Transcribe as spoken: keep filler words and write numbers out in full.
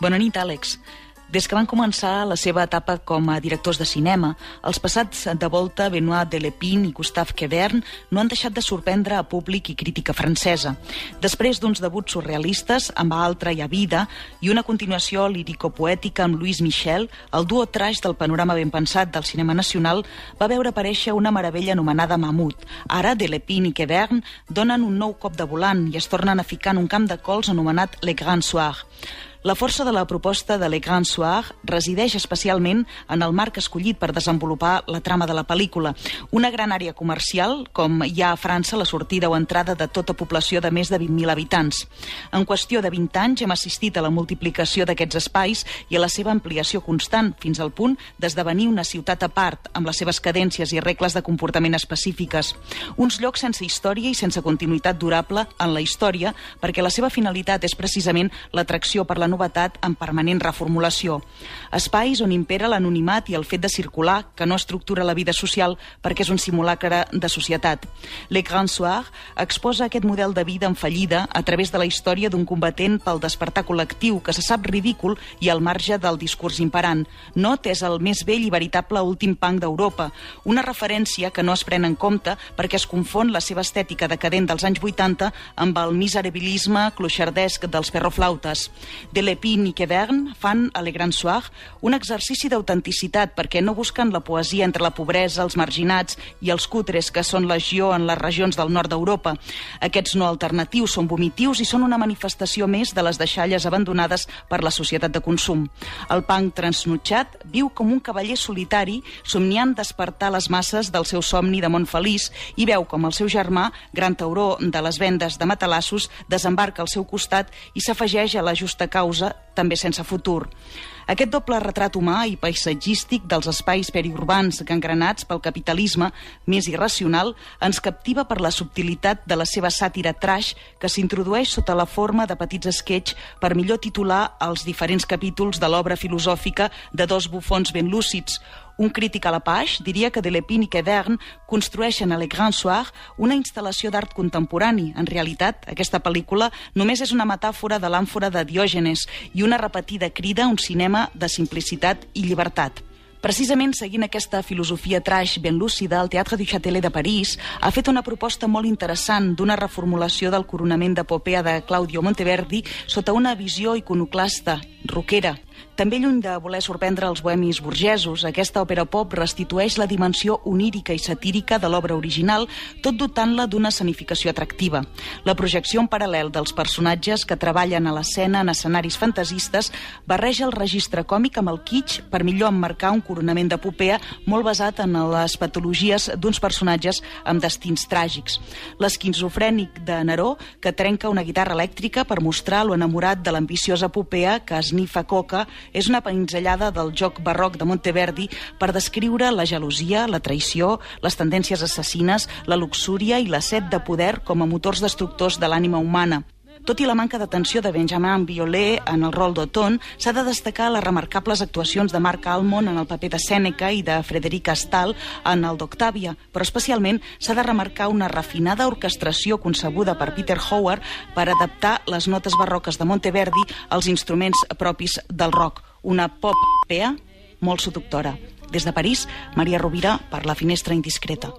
Bona nit, Àlex. Des que van començar la seva etapa com a directors de cinema, els passats de volta Benoît Delépine i Gustave Quevern no han deixat de sorprendre a públic i crítica francesa. Després d'uns debuts surrealistes amb Altra i A Vida i una continuació lírico-poètica amb Louis Michel, el duo trash del panorama ben pensat del cinema nacional va veure aparèixer una meravella anomenada Mamut. Ara, Delépine i Quevern donen un nou cop de volant i es tornen a ficar en un camp de cols anomenat Le Grand Soir. La força de la proposta de Le Grand Soir resideix especialment en el marc escollit per desenvolupar la trama de la pel·lícula. Una gran àrea comercial, com hi ha a França la sortida o entrada de tota població de més de vint mil habitants. En qüestió de vint anys hem assistit a la multiplicació d'aquests espais i a la seva ampliació constant, fins al punt d'esdevenir una ciutat a part, amb les seves cadències i regles de comportament específiques. Uns llocs sense història i sense continuïtat durable en la història, perquè la seva finalitat és precisament l'atracció per la novetat en permanent reformulació. Espais on impera l'anonimat i el fet de circular, que no estructura la vida social perquè és un simulacre de societat. Le Grand Soir exposa aquest model de vida en fallida a través de la història d'un combatent pel despertar col·lectiu que se sap ridícul i al marge del discurs imperant. Not és el més vell i veritable últim punk d'Europa, una referència que no es pren en compte perquè es confon la seva estètica decadent dels anys vuitanta amb el miserabilisme cloixardesc dels perroflautes. Delépine i Quevern fan a Le Grand Soir un exercici d'autenticitat perquè no busquen la poesia entre la pobresa, els marginats i els cutres que són legió en les regions del nord d'Europa. Aquests no alternatius són vomitius i són una manifestació més de les deixalles abandonades per la societat de consum. El punk transnutxat viu com un cavaller solitari somniant despertar les masses del seu somni de món feliç i veu com el seu germà, gran tauró de les vendes de matalassos, desembarca al seu costat i s'afegeix a la justa causa, també sense futur. Aquest doble retrat humà i paisatgístic dels espais periurbans gangrenats pel capitalisme més irracional ens captiva per la subtilitat de la seva sàtira trash que s'introdueix sota la forma de petits esquetx per millor titular els diferents capítols de l'obra filosòfica de dos bufons ben lúcids. Un crític a la page diria que Delépine i Quevern construeixen a Le Grand Soir una instal·lació d'art contemporani. En realitat, aquesta pel·lícula només és una metàfora de l'àmfora de Diògenes i una repetida crida a un cinema de simplicitat i llibertat. Precisament seguint aquesta filosofia trash ben lúcida, el Teatre du Châtelet de París ha fet una proposta molt interessant d'una reformulació del coronament d'epopea de Claudio Monteverdi sota una visió iconoclasta, rockera. També lluny de voler sorprendre els bohemis burgesos, aquesta òpera pop restitueix la dimensió onírica i satírica de l'obra original, tot dotant-la d'una escenificació atractiva. La projecció en paral·lel dels personatges que treballen a l'escena en escenaris fantasistes barreja el registre còmic amb el kitsch per millor emmarcar un coronament d'epopea molt basat en les patologies d'uns personatges amb destins tràgics. L'esquizofrènic de Neró, que trenca una guitarra elèctrica per mostrar lo enamorat de l'ambiciosa epopea que esnifa coca, és una pinzellada del joc barroc de Monteverdi per descriure la gelosia, la traïció, les tendències assassines, la luxúria i la set de poder com a motors destructors de l'ànima humana. Tot i la manca d'atenció de Benjamin Biolay en el rol d'Othon, s'ha de destacar les remarcables actuacions de Marc Almond en el paper de Sèneca i de Frederic Astal en el d'Octàvia, però especialment s'ha de remarcar una refinada orquestració concebuda per Peter Howard per adaptar les notes barroques de Monteverdi als instruments propis del rock, una pop pea molt seductora. Des de París, Maria Rovira per La Finestra Indiscreta.